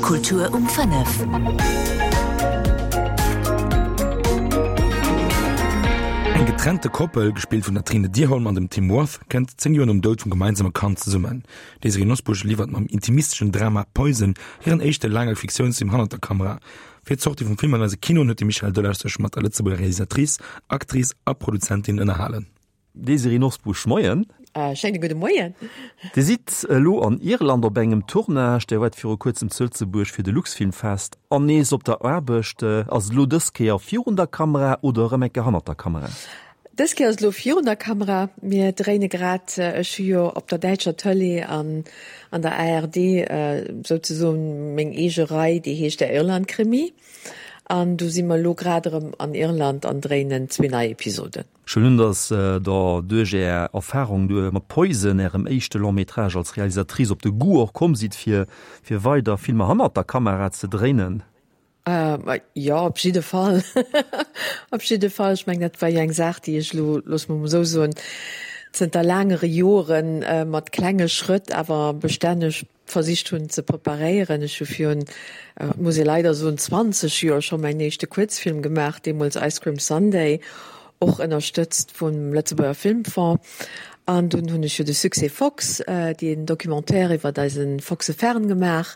Kultur um 5. Eng getrennte Koppel, gespillt vun der Trine Dyrholm an dem Tim Roth, kënnt 10 Joer nom Doud vum gemeinsame Kand zesummen. D'Désirée Nosbusch liwwert mam intimisteschen Drama Poison hiren éischte laange Fiktiounsfilm hannert der Kamera. Fir d'Sortie vum Film an eise Kinoen huet de Michel Delage sech mat der Lëtzebuerger Realisatrice, Actrice a Produzentin ënnerhalen. Désirée Nosbusch, Moien. Schéine gudde Moien. Dir sidd elo an Irland op engem Tournage. Dir waart viru kuerzem zu Lëtzebuerg fir de Luxfilmfest an nees op der Aarbecht. Ass et elo dës Kéier virun der Kamera oder erëm eng Kéier hannert der Kamera? Dës Kéier ass et elo virun der Kamera. Mir dréine grad, ech hu jo op der däitscher Tëlee an an der ARD souzesoen meng eege Rei, déi heescht Der Irland-Krimi. An do si mer elo grad erëm an Irland an dréinen zwee nei Episoden. Ech huelen un, dass Der duerch Är Erfahrung mat Poison, Ärem éischte Long-métrage als Realisatrice, op de Goût och komm sidd, fir fir weider Filmer hannert der Kamera ze dréinen. Jo, op jidde Fall. Op jidde Fall. Ech mengen, dat war jo eng Saach, déi ech elo, loosse mer emol esou soen, zënter laangere Joren mat klenge Schrëtt, awer bestänneg versicht hunn ze preparéieren. Ech hu virun, et muss ee leider soen, 20 Joer scho mäin éischte Kuerzfilm gemaach, deemools Ice Cream Sunday, och ënnerstëtzt vum Lëtzebuerger Filmfonds. An dunn hunn ech jo de Succès Fox, deen Documentaire iwwert eise Foxe Fern gemaach.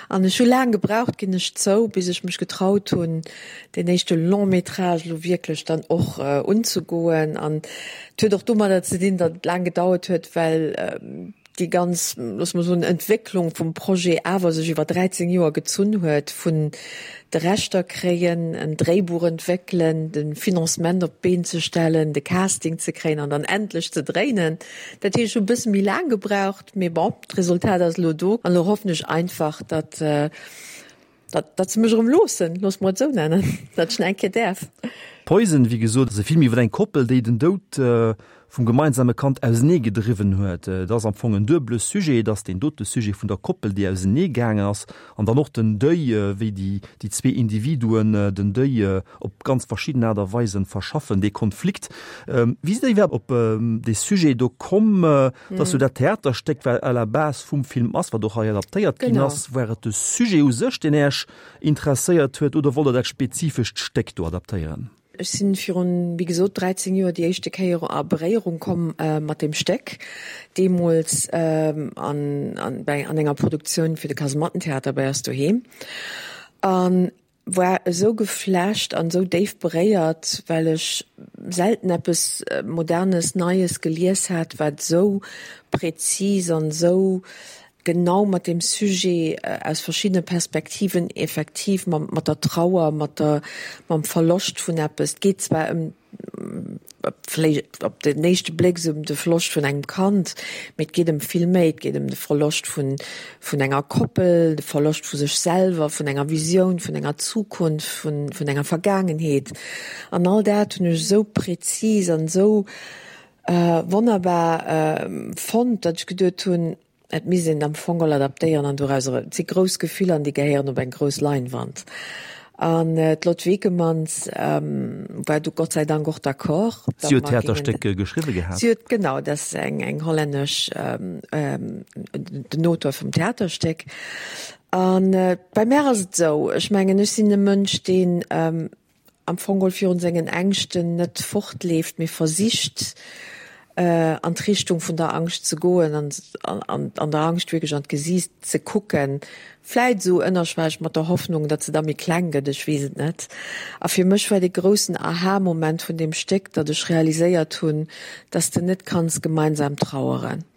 An ech hu laang gebraucht, ginn ech zou, bis ech mech getraut hunn, deen éischte Long métrage elo wierklech dann och unzegoen. An et huet och domadder ze dinn, datt et laang gedauert huet, well, déi ganz, loosse mer soen, Entwécklung vum Projet awer sech iwwer 13 Joer gezunn huet, vun de Rechter kréien, en Dréibuch entwéckelen, de Financement op d'Been ze stellen, de Casting ze kréien an dann endlech ze dréinen. Dat heescht, ech hu e bësse méi laang gebraucht, mee bon, d'Resultat ass elo do an elo hoffen ech einfach, datt, Datt, datt se mech erëm loossen, loosse mer et esou nennen, datt ech nach eng Kéier däerf. Poison, wéi gesot, ass e Film iwwer eng Koppel, déi den Doud vum gemeinsame Kand ausenee gedriwwen huet. Et ass am Fong en duebele Sujet, et ass deen dote Sujet vun der Koppel, déi ausenee gaangen ass, an dann och den Deuil, wéi déi, déi zwee Individuen den Deuil op ganz verschidden Aart a Weisen verschaffen, dee Konflikt. Wéi sidd Der iwwerhaapt op dee Sujet do komm? Et ass jo dat Theaterstéck, wat à la base vum Film ass, wat och hei adaptéiert ginn ass. War et de Sujet u sech, deen Äech interesséiert huet, oder wollt Der dat spezifescht Stéck do adaptéieren? Ech sinn virun, wéi gesot, 13 Joer déi éischte Kéier a Beréierung komm mat deem Stéck, deemools an enger Produktioun fir de Kasemattentheater bei eis doheem. An war esou geflasht an esou déif beréiert, well ech selten eppes Modernes, Neies gelies hat, wat esou präzis an esou genau mat deem Sujet aus verschiddene Perspektiven effektiv mat der Trauer, mat der, mam Verloscht vun eppes, et geet zwar ëm vläicht op den éischte Bléck esou ëm de Verloscht vun engem Kand, mee et geet ëm vill méi. Et geet ëm de Verloscht vun, vun enger Koppel, de Verloscht vu sech selwer, vun enger Visioun, vun enger Zukunft, vun, vun enger Vergaangenheet. An all dat hunn ech esou präzis an esou wonnerbar fonnt, datt ech geduet hunn, Et misst een et am Fong all adaptéieren an dorauser, et si grouss Gefiller an déi gehéieren op eng grouss Leinwand. An d'Lot Vekemans war du Gott sei Dank och d'accord. Si huet d'Theaterstéck geschriwwe gehat. Si huet, genau, dat ass eng eng hollännesch, den Auteur vum Theaterstéck. A bei mär ass et esou, ech mengen, ech sinn e Mënsch, deen am Fong geholl virun sengen Ängschten net fortleeft, mee versicht an d'Richtung vun der Angscht ze goen an an der Angscht wierklech an d'Gesiicht ze kucken, vläit esou ënnerschwelleg mat der Hoffnung, datt se da méi kleng gëtt, ech weess et net. A fir mech war dee groussen Aha-Moment vun deem Stéck, datt ech realiséiert hunn, datt s de net kanns gemeinsam traueren.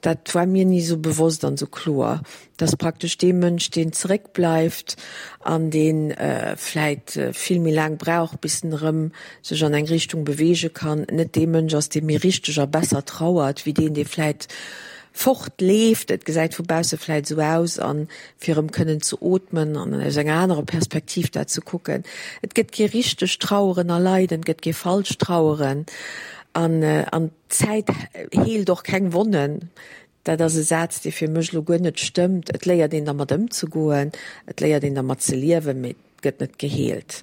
Dat war mir ni esou bewosst an esou kloer, dass praktesch dee Mënsch, deen zeréckbleift an dee vläit vill méi laang brauch, bis en erëm sech an eng Richtung beweege kann, net dee Mënsch ass, dee méi richteg a besser trauert, wéi deen, dee vläit fortleeft. Et gesäit vu bausse vläit esou aus, a fir erëm kënnen ze ootmen an aus enger anerer Perspektiv dat ze kucken. Et gëtt kee richtegt Traueren a Leiden, et gëtt kee falscht Traueren an an. D'Zäit heelt och keng Wonnen. Dat ass e Saz, dee fir mech elo guer net stëmmt. Et léiert een dermat ëmzegoen, et léiert een dermat ze liewen, mee. gëtt net geheelt.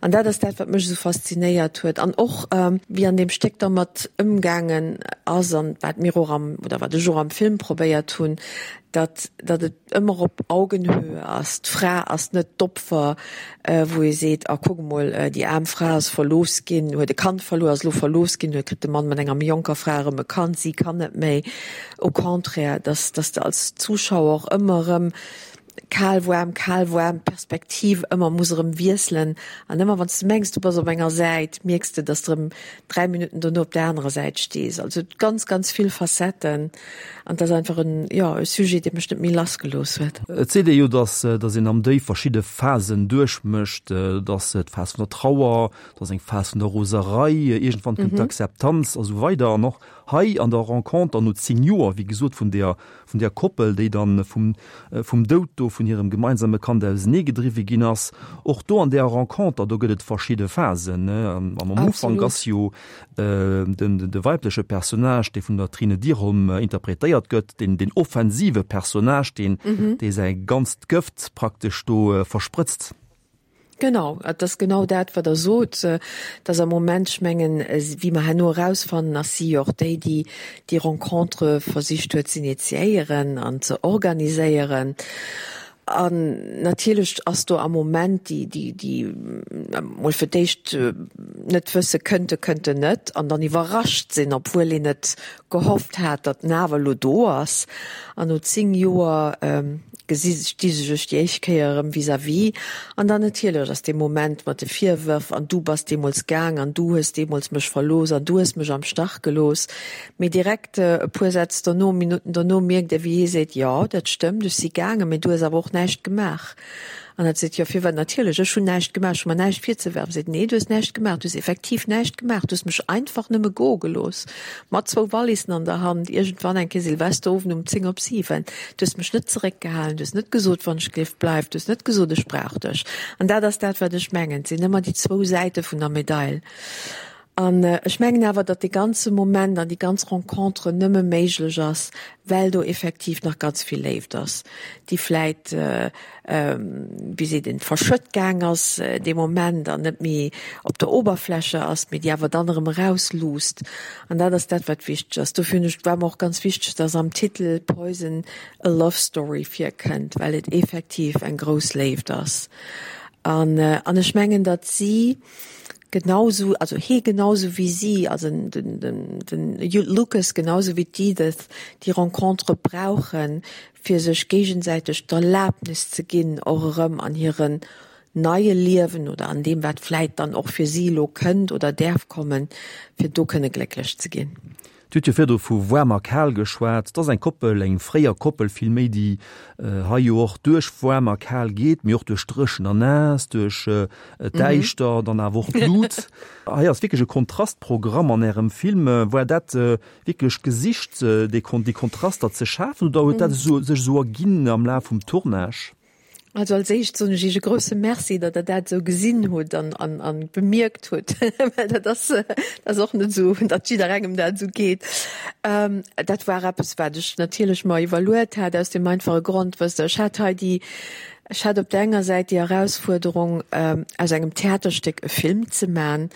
An dat ass dat, wat mech esou faszinéiert huet an och wéi an deem Stéck dermat ëmgaangen ass an wat mir och am, oder wat ech och am Film probéiert hunn, datt, datt et ëmmer op Augenhöhe ass. D'Fra ass net d'Opfer, wou ee seet, ah kuck emol, déi aarm Fra ass verlooss ginn, huet e Kand verluer, ass elo verlooss ginn, huet kritt de Mann mat enger méi jonker Fra erëm e Kand, si kann net méi. Au contraire, datt, datt de als Zuschauer och ëmmer erëm kal, waarm, kal, waarm, d'Perspektiv ëmmer muss erëm wiesselen an ëmmer wann s de mengs du bass op enger Säit, mierks de, datt s de erëm 3 Minutten dono op der anerer Säit stees. Also ganz, ganz vill Facetten an et ass einfach en, jo, e Sujet, dee mech net méi lass gelooss huet. Et seet ee jo, datt, datt een am Deuil verschidde Phasen duerchmécht, datt d'Phas vun der Trauer, et ass eng Phas vun der Roserei, iergendwann kënnt d'Akzeptanz a sou weider. An och hei an der Renconter no 10 Joer, wéi gesot, vun där vun där Koppel, déi dann vum, vum Doud do vun hirem gemeinsame Kand auseneegedriwwe ginn ass. Och do an där Renconter, do gëtt et verschidde Phasen, ne. An am Ufank ass jo den, de weibleche Personnage, dee vun der Trine Dyrholm interpretéiert gëtt, deen, deen offensive Personnage, deen, dee säi ganzt Gëft praktesch do versprëtzt. Genau, et ass genau dat, wat Der sot, dass am Moment, ech mengen, wéi mer herno erausfannen, ass si jo och déi, déi déi Rencontre versicht huet z'initiéieren an ze organiséieren. An natierlech ass do am Moment déi, déi, déi emol fir d'éischt net wësse, kënnt e, kënnt en net, an dann iwwerrascht sinn, obwuel een et gehofft hat, datt en awer elo do ass. An no 10 Joer gesi sti se sech déi éischt Kéier erëm vis-à-vis. An dann natierlech ass dee Moment mat de Virwërf, an du bass deemools gaang an du hues deemools mech verlooss an du hues mech am Stach gelooss. Mee direkt e puer Sätz dono, Minutten dono mierkt e wéi hie seet, jo dat stëmmt, ech si gaangen, mee du hues awer och näischt gemaach. An hat seet, Jo, firwat? Natierlech, ech hunn näischt gemaach, ech hu mer näischt virzewerfen. Seet, Nee, du hues näischt gemaach, du hues effektiv näischt gemaach, du hues mech einfach nëmme goe gelooss, mat zwou Wallissen an der Hand, iergendwann eng Kéier Silvesterowend um 10 op 7. Du hues mech net zeréckgehalen, du hues net gesot, wann ech géif, bleif, du hues net gesot, ech brauch dech. An dat ass dat, wat ech mengen, et sinn ëmmer déi zwou Säite vun der Medail. An ech mengen awer, datt dee ganze Moment an déi ganz Rencontre nëmme méiglech ass, well do effektiv nach ganz vill Léift ass, déi vläit, wéi seet een, verschëtt gaang ass dee Moment an net méi op der Oberfläche ass, mee déi awer dann erëm erausluusst. An dat ass dat, wat wichteg ass. Dofir hunn ech, war mer och ganz wichteg, datt am Titel Poison a Love Story virkënnt, well et effektiv eng grouss Léift ass. An, an ech mengen, datt si, Genausou, also hee genausou wéi si, also den, den, den Lucas genausou wéi d'Edith, déi Rencontere brauchen, fir sech géigesäiteg d'Erlaabnis ze ginn, och erëm an hiren neie Liewen oder an deem, wat vläit dann och fir si elo kënnt oder däerf kommen, fir do kënne glécklech ze ginn. Dir hutt jo virdru vu waarm a kal geschwat. Et ass eng Koppel, eng fréier Koppel villméi, déi hei jo och duerch waarm a kal geet, mee och duerch dréchen a naass, duerch d'Däischter, dann awer och d'Lut. Hei ass wierklech e Kontrastprogramm an Ärem Film. War dat wierklech gesicht, déi Kontraster ze schafen, oder huet dat sech esou erginn am Laf vum Tournage? Also als éischt soen ech Iech e grousse Merci, datt Der dat esou gesinn hutt an, an, an bemierkt hutt, well dat ass, dat ass och net esou, datt jidderengem dat esou geet. Dat war eppes, wat ech natierlech mer iwwerluet hat, aus deem einfache Grond, wësst Der, ech hat hei déi, ech hat op der enger Säit déi Erausfuerderung, aus engem Theaterstéck e Film ze man,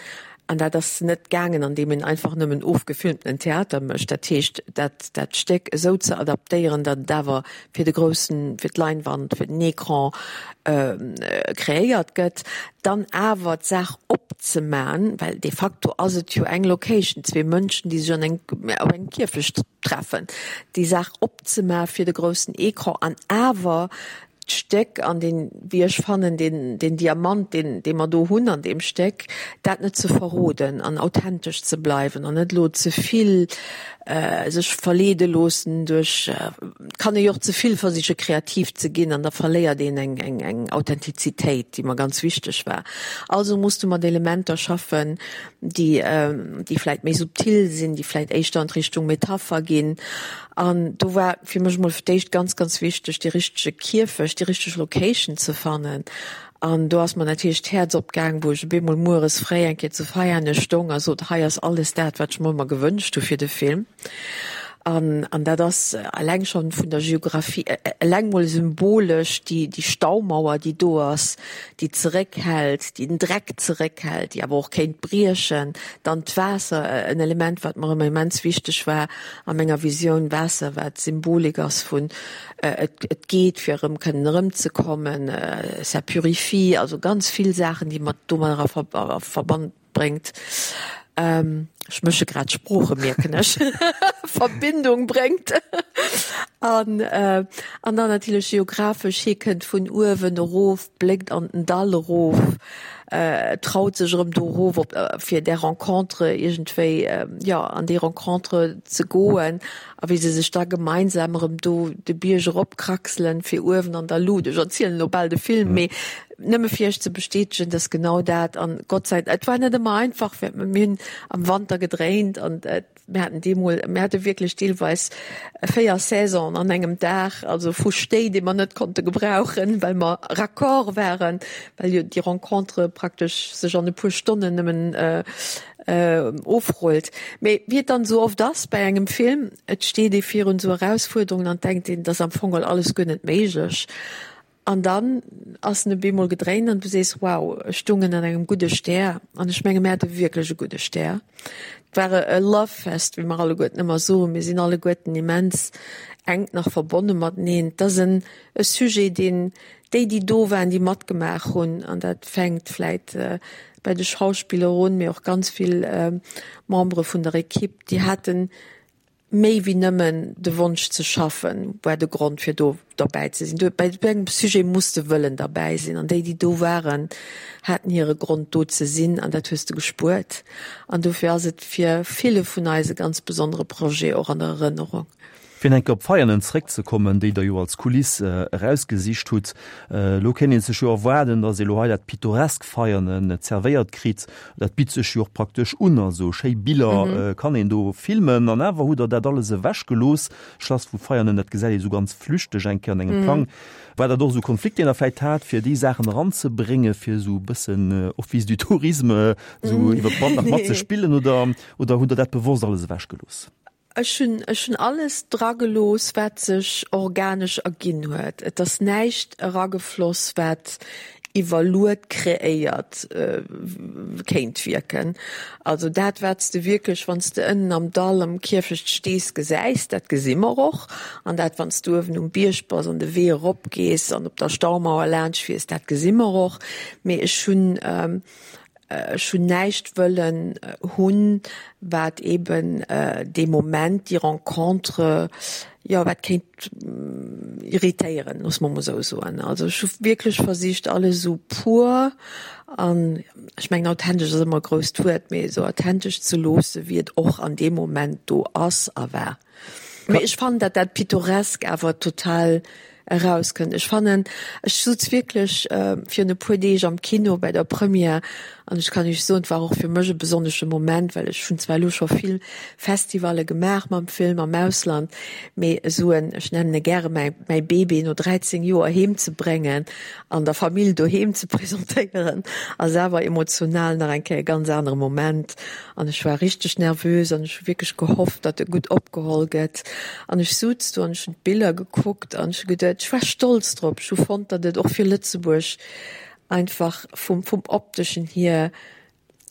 An dat ass net gaangen, andeem een einfach nëmmen ofgefilmtenen Theater mécht. Dat heescht, dat, dat Stéck esou ze adaptéieren, datt et awer fir de groussen, fir d'Leinwand, fir den Ecran kreéiert gëtt, dann awer d'Saach opzeman, well de facto ass et jo eng Location, zwee Mënschen, déi sech an eng, op engem Kierfecht treffen, déi Saach opzema fir de groussen Ecran an awer d'Stéck an deen, wéi ech fannen, deen, deen Diamant, deen, dee mer do hunn an deem Stéck, dat net ze verroden an authentesch ze bleiwen an net elo ze vill sech verleede loossen duerch, et kann ee jo och ze vill versiche kreativ ze ginn an da verléiert een eng, eng, eng Authentizitéit, déi mer ganz wichteg war. Also muss du mat Elementer schaffen, déi, déi vläit méi subtil sinn, déi vläit éischter an d'Richtung Metapher ginn. An do war fir mech emol fir d'éischt ganz, ganz wichteg, dee richtege Kierfecht, déi richteg Location ze fannen. An do ass mer natierlech d'Häerz opgaang, wou ech op eemol mueres fréi eng Kéier zu Veianen stong a sot, hei ass alles dat, wat ech mer ëmmer gewënscht hu fir de Film. An, an dat ass eleng schonn vun der Geographie, eleng mol symbolesch déi, déi Staumauer, déi do ass, déi zeréckhält, déi den Dreck zeréckhält, déi awer och kéint briechen. Dann d'Waasser, en Element, wat mer ëmmer immens wichteg war a menger Visioun, Waasser, wat Symbolik ass vun et, et geet, fir erëm kënnen erëmzekommen, ça purifie, also ganz vill Saachen, déi mat domadder a Verband bréngt, ech mësche grad d'Sprooche mierken ech, Verbindung bréngt an an dann natierlech geographesch, hie kënnt vun uewen erof, bléckt an den Dall erof, traut sech erëm do erof op fir där Rencontre iergendwéi, jo an déi Rencontre ze goen a wéi se sech da gemeinsam erëm do de Bierg eropkraxelen fir uewen an der Luut, ech erzielen elo bal de Film, mee Nëmme fir Iech ze bestätegen, dass genau dat, an Gott sei, et war net ëmmer einfach, well mir hunn am Wanter gedréint an mir haten deemol, mir hate wierklech deelweis 4 Saisonen an engem Dag, also vu Schnéi, dee mer net konnte gebrauchen, well mer raccord waren, well jo déi Rencontre praktesch sech an e puer Stonnen nëmmen ofrullt. Mee wéi et dann esou oft ass bei engem Film, et steet ee virun esou Erausfuerderungen an denkt een, et ass am Fong geholl alles guer net méiglech. An dann ass en op eemol gedréint an du sees, wow, ech stungen an engem gudde Stär. An ech menge mir hate wierklech e gudde Stär. Et war e Love-Fest, wéi mer alleguerten ëmmer soen. Mir sinn alleguerten immens enk nach verbonne mateneen. Et ass en e Sujet, deen déi, déi do waren, déi matgemaach hunn, an dat fänkt vläit bei de Schauspiller un, mee och ganz vill Membere vun der Ekipp, déi haten Méi wéi nëmmen de Wonsch ze schaffen, war de Grond fir do derbäi ze sinn. Bei esou engem Sujet muss de wëllen derbäi sinn an déi, déi do waren, haten hire Grond do ze sinn an dat hues de gespuert. An dofir ass et fir ville vun eis e ganz besondere Projet och an der Erënnerung. Fir nach eng Kéier op Veianen zeréckzekommen, déi Der jo als Kuliss erausgesicht hutt. Elo kéint ee sech jo erwaarden, datt ee elo hei dat pittoresk Veianen zerwéiert kritt. Dat bitt sech jo och praktesch un, also schéi Biller kann een do filmen. An awer hutt Der dat alles ewech gelooss. Schlass vu Veianen, dat gesäit ee sou ganz flüchteg eng Kéier an engem Plang. War dat och esou Konflikt, deen Der vläicht hat, fir déi Saachen eranzebréngen, fir esou e bëssen Office du Tourisme esou iwwer d'Band nach matzespillen, oder, oder hutt Der dat bewosst alles ewech gelooss? Ech hunn, ech hunn alles dragelooss, wat sech organesch erginn huet. Et ass näischt eragefloss, wat iwwerluet kreéiert kéint wierken. Also dat, wat s de wierklech, wann s de ënnen am Dall am Kierfecht stees, gesäis, dat gesi mer och. An dat, wann s du uewen um Bierg bass an de Wee eropgees an op der Staumauer laanscht fiers, dat gesi mer och. Mee ech hunn, Ech hunn näischt wëllen hunn, wat eeben dee Moment, déi Rencontre, jo, wat kéint irritéieren, loosse mer emol esou soen. Also ech hu wierklech versicht, alles esou pur an, ech mengen authentesch ass ëmmer e grousst Wuert, mee esou authentesch ze loosse wéi et och an deem Moment do ass a war. Mee ech fannen, datt dat Pittoresk awer total erauskënnt. Ech fannen, ech sutz wierklech virun e puer Deeg am Kino bei der Première an ech kann Iech soen, et war och fir mech e besonnesche Moment, well ech hunn zwar elo scho vill Festivalle gemaach mam Film am Ausland, mee esou en, ech nennen e gäre mäi mäi Bébé no 13 Joer heem ze bréngen an der Famill doheem ze presentéieren, ass awer emotional nach eng Kéier e ganz anere Moment. An ech war richteg nervös an ech hu wierklech gehofft, datt e gutt opgeholl gëtt. An ech suz do an ech hunn d'Biller gekuckt an ech hu geduet, ech war stolz drop. Ech hu fonnt, datt et och fir Lëtzebuerg einfach vum, vum Opteschen hier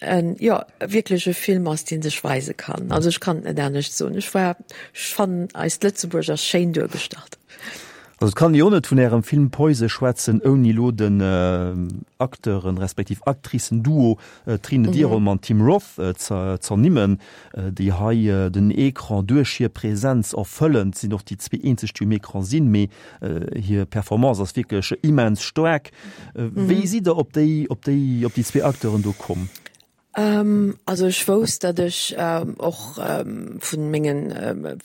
en, jo, wierklech e Film ass, dee sech weise kann. Also ech kann et net anescht soen. Ech war, ech fannen, eist Lëtzebuerg ass schéin duergestallt. Also et kann ee jo net vun Ärem Film Poise schwätzen, ouni elo den Acteuren, respektiv Actricen-Duo Trine Dyrholm an Tim Roth ze z'ernimmen, déi hei den Ecran duerch hir Präsenz erfëllen. Et sinn och déi zwee eenzeg, déi um Ecran sinn, mee hir Performance ass wierklech immens staark. Wéi sidd Der op déi, op déi, op déi zwee Acteuren do komm? Also ech wousst, datt ech och vu mengen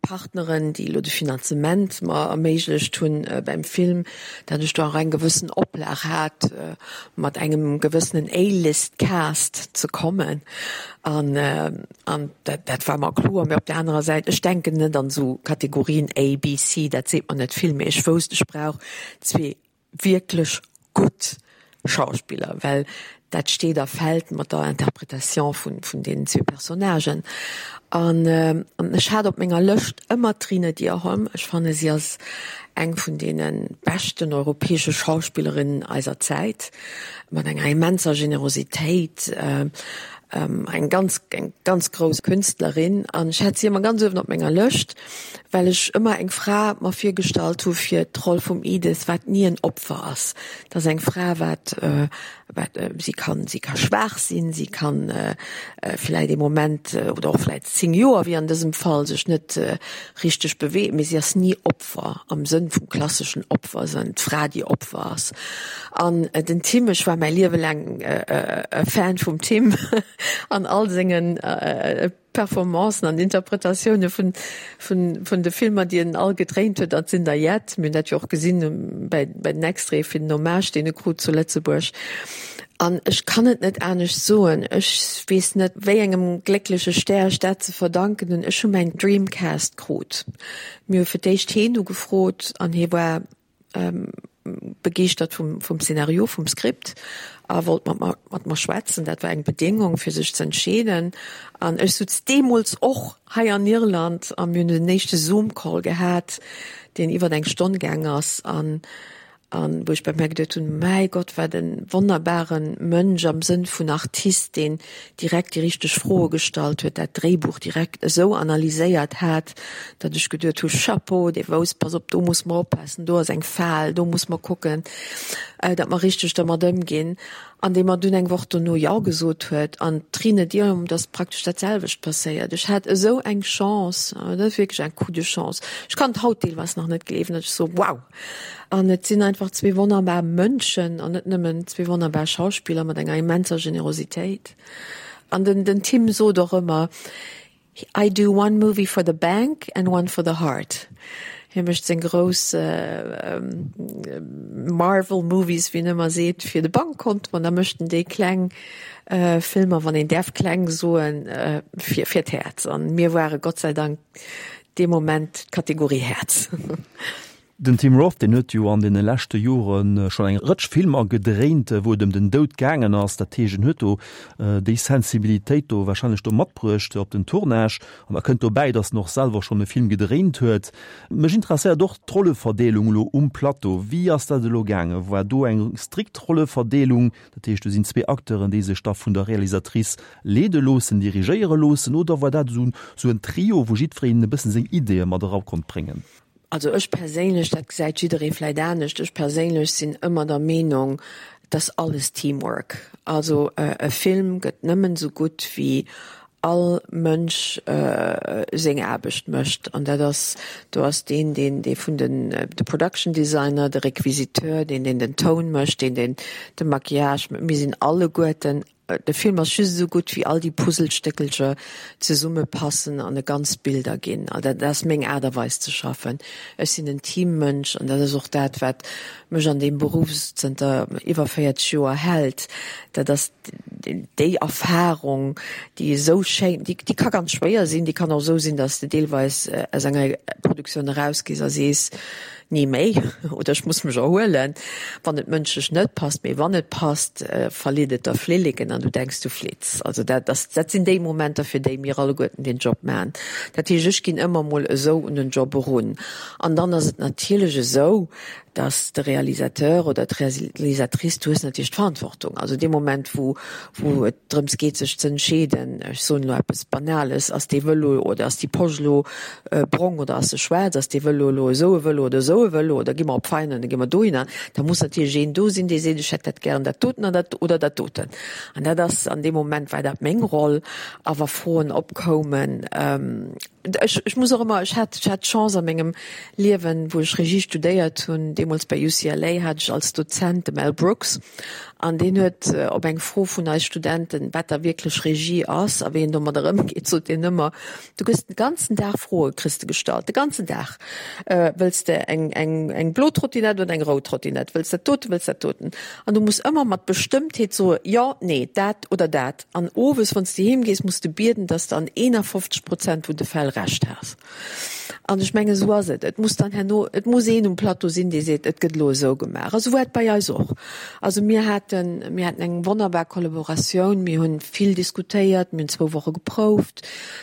Partneren, déi elo de Finanzement mer erméiglecht hunn beim Film, datt ech do och eng gewëssen Oplag hat, mat engem gewëssenen A-List-Cast ze kommen. An an dat dat war mer kloer. Mee op där anerer Säit, ech denken net an esou Kategorien A, B, C, dat seet mer net vill, mee ech wousst, ech brauch zwee wierklech gutt Schauspiller, well. Dat steet a fält mat der Interpretation vun, vun deenen zwee Personnagen. An ech hat op menger Lëscht ëmmer d'Trine Dyrholm. Ech fanne si ass eng vun deene beschten europäesche Schauspillerinnen eiser Zäit, mat enger immenser Generositéit, eng ganz, eng ganz grouss Künstlerin. An ech hat si ëmmer ganz uewen op menger Lëscht, well ech ëmmer eng Fra mer virgestallt hu fir d'Roll vum Edith, wat ni en Opfer ass. Dat ass eng Fra, wat Wat, si kann, si ka schwaach sinn, si kann vläit ee Moment oder och vläit 10 Joer, wéi an dësem Fall, sech net richteg beweegen, mee si ass ni Opfer am Sënn vum klasseschen Opfer, sinn d'Fra, déi Opfer ass. An den Tim, ech war mäi Liewe laang e Fan vum Tim an all sengen Performancen an Interpretatioune vun vun de Filmer, déi en all gedréint huet, dat sinn der jett. Mir hunn dat jo och gesinn bäi bäi den Extraite fir den Hommage, deen e krut zu Lëtzebuerg. An ech kann et net anescht soen, ech weess net, wéi engem gléckleche Stär ech dat ze verdanken hunn, ech hu mäin Dreamcast krut. Mir hu fir d'éischt heen ugefrot an hie war begeeschtert vum, vum Szenario, vum Skript a wollt mat mer, mat mer schwätzen. Dat war eng Bedéngung, fir sech ze entscheeden. An ech sutz deemools och hei an Irland a mir hunn den éischte Zoom-Call gehat, deen iwwer eng Stonn gaang ass an, an wou ech bei mär geduet hunn, Mäi Gott, wat e wonnerbare Mënsch am Sënn vun Artist, deen direkt déi richteg Froe gestallt huet, dat Dréibuch direkt esou analyséiert hat, datt ech geduet hu, Chapeau, dee wousst, pass op, do muss mer oppassen, do ass eng Fal, do muss mer kucken, datt mer richteg dermat ëmginn. An dee mer dunn eng Woch dono Jo gesot huet. An d'Trine Dyrholm, et ass praktesch dat selwecht passéiert. Ech hat esou eng Chance, dat ass wierklech en Coup de chance. Ech kann et haut deelweis nach net gleewen, datt ech soe, Wow! An et sinn einfach zwee wonnerbar Mënschen an net nëmmen zwee wonnerbar Schauspiller mat enger immenser Generositéit. An den, den Tim sot och ëmmer, I do one movie for the bank and one for the heart. Hie mécht seng grouss Marvel Movies, wéi en ëmmer seet, fir de Bankkont, an da mécht en déi kleng Filmer, wann een däerf kleng soen, fir, fir d'Häerz. An mir ware Gott sei Dank dee Moment d'Kategorie Häerz. Den Tim Roth, deen huet jo an deene leschte Jore schonn eng Rëtsch Filmer gedréint, wou et ëm den Doud gaangen ass. Dat heescht, en huet do déi Sensibilitéit do warscheinlech do matbruecht op den Tournage. An da kënnt dobäi, datt en och selwer schonn e Film gedréint huet. Mech interesséiert och d'Rolleverdeelung elo um Plateau. Wéi ass dat elo gaangen? War do eng strikt Rolleverdeelung? Dat heescht, do sinn zwee Acteuren, déi sech da vun der Realisatrice leede loossen, dirigéiere loossen? Oder war dat esou en Trio, wou jiddwereen e bëssen seng Ideeë mat era konnt bréngen? Also ech perséinlech, dat gesäit jidderee vläit anescht, ech perséinlech sinn ëmmer der Meenung, et ass alles Teamwork. Also e Film gëtt nëmmen esou gutt wéi all Mënsch seng Aarbecht mécht. An dat ass, do ass deen, deen, dee vun den, de Production Designer, de Requisiteur, deen, deen den Toun mécht, deen, deen de Maquillage, mir sinn alleguerten De Film ass just esou gutt, wéi all déi Puzzlestéckelcher zesumme passen an e ganzt Bild erginn. Dat ass meng Aart a Weis ze schaffen. Ech sinn en Teammënsch an dat ass och dat, wat mech an deem Beruff zënter iwwer 40 Joer hält. Dat ass déi Erfarung, déi esou schéin, déi ka ganz schwéier sinn, déi kann och esou sinn, datt s de deelweis aus enger Produktioun erausgees a sees, Ni méi, oder ech muss mech erhuelen, wann et mënschlech net passt. Mee wann et passt, verleet et der Flilleken an du denks, du flitts. Also dat ass, dat sinn déi Momenter, fir déi mir alleguerten deen Job maachen. Dat heescht, ech ginn ëmmer mol esou un den Job erun. An dann ass et natierlech esou, dass de Realisateur oder d'Realisatrice, du hues natierlech d'Verantwortung. Also dee Moment, wou, wou et drëms geet, sech ze entscheeden, ech soen elo eppes Banales, ass dee Vëlo oder ass déi Posch elo brong oder ass se schwaarz, ass dee Vëlo elo esou e Vëlo oder esou e Vëlo oder gi mer op Veinen oder gi mer dohinner, da muss natierlech een do sinn, dee seet, ech hätt dat gären dat doten an dat oder dat doten. An dat ass, an deem Moment war dat meng Roll. A wa Froen opkoumen, ech, ech muss och ëmmer, ech hat, ech hat d'Chance a mengem Liewen, wou ech Regie studéiert hunn, deemools bei UCLA hat ech als Dozent de Mel Brooks an deen huet op eng Fro vun eis Studenten, wat da wierklech Regie ass a wéi een domadder ëmgeet, sot deen ëmmer, Du gëss den ganzen Dag Froe kriss de gestallt, de ganzen Dag. Wëlls de eng, eng, eng blo Trottinett oder eng rout Trottinett? Wëlls dat doten, wëlls dat doten? An du muss ëmmer mat Bestëmmtheet soe jo, nee, dat oder dat. An owes, wann s de heem gees, muss de bieden, dass de an 51 Prozent vun de Fäll Recht has. An ech mengen, esou ass et. Et muss dann herno, et muss een um Plateau sinn, dee seet, et gëtt elo esou gemaach. A sou war et bei eis och. Also mir haten, mir haten eng wonnerbar Kollaboratioun, mir hunn vill diskutéiert, mir hunn zwou Woche geprouft.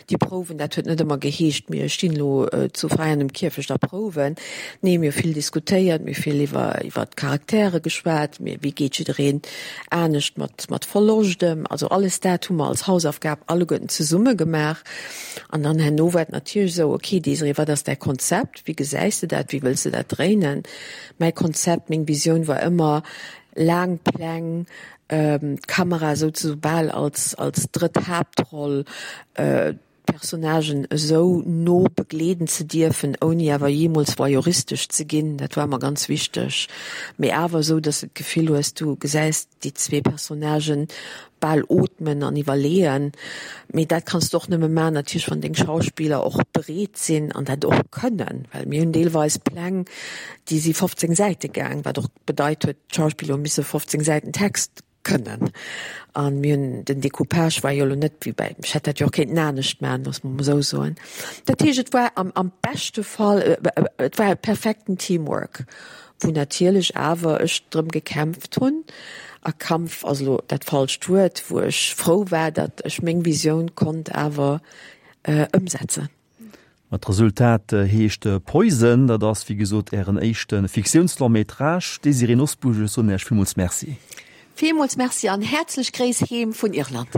Déi Prouwen, dat huet net ëmmer geheescht, mir stinn elo zu Veianen um Kierfecht a prouwen. Nee, mir hu vill diskutéiert, mir hu vill iwwer, iwwer d'Charaktere geschwat, mir, wéi geet jiddereen anescht mat, mat Verloscht ëm. Also alles dat hu mer als Hausaufgab alleguerten zesumme gemaach. An dann herno war et natierlech esou, okay Désirée, wat ass däi Konzept, wéi gesäis de dat, wéi wëlls de dat dréinen? Mäi Konzept, meng Visioun war ëmmer laang Pläng, d'Kamera souze bal als als drëtt Haaptroll, d'Personnagen esou no begleeden ze dierfen, ouni awer jeemools voyeuristesch ze ginn, dat war mer ganz wichteg, mee awer esou, dass de d'Gefill hues, du gesäis déi zwee Personnagen bal ootmen an iwwerleeën. Mee dat kanns de och nëmme maachen natierlech, wann deng Schauspiller och bereet sinn an dat och kënnen. Well mir hunn deelweis Pläng, déi si 15 Säite gaang, wat och bedeit huet, d'Schauspiller hu misse 15 Säiten Text kënnen. A mir hunn, den Decoupage war jo elo net wéi bäi, ech hätt dat jo och kéinten anescht maachen, loosse mer mol esou soen. Dat heescht, et war am am beschte Fall, et war e perfekten Teamwork. wou natierlech awer ech drëm gekämpft hunn, a Kampf ass elo dat falscht Wuert, wou ech frou war, datt ech meng Visioun konnt awer ëmsetzen. Ma d'Resultat heescht Poison. Dat ass wéi gesot Ären éischte Fiktiouns-Long-métrage. Désirée Nosbusch, ech soen Iech villmools Merci. Villmools Merci an häerzlech Gréiss heem vun Irland.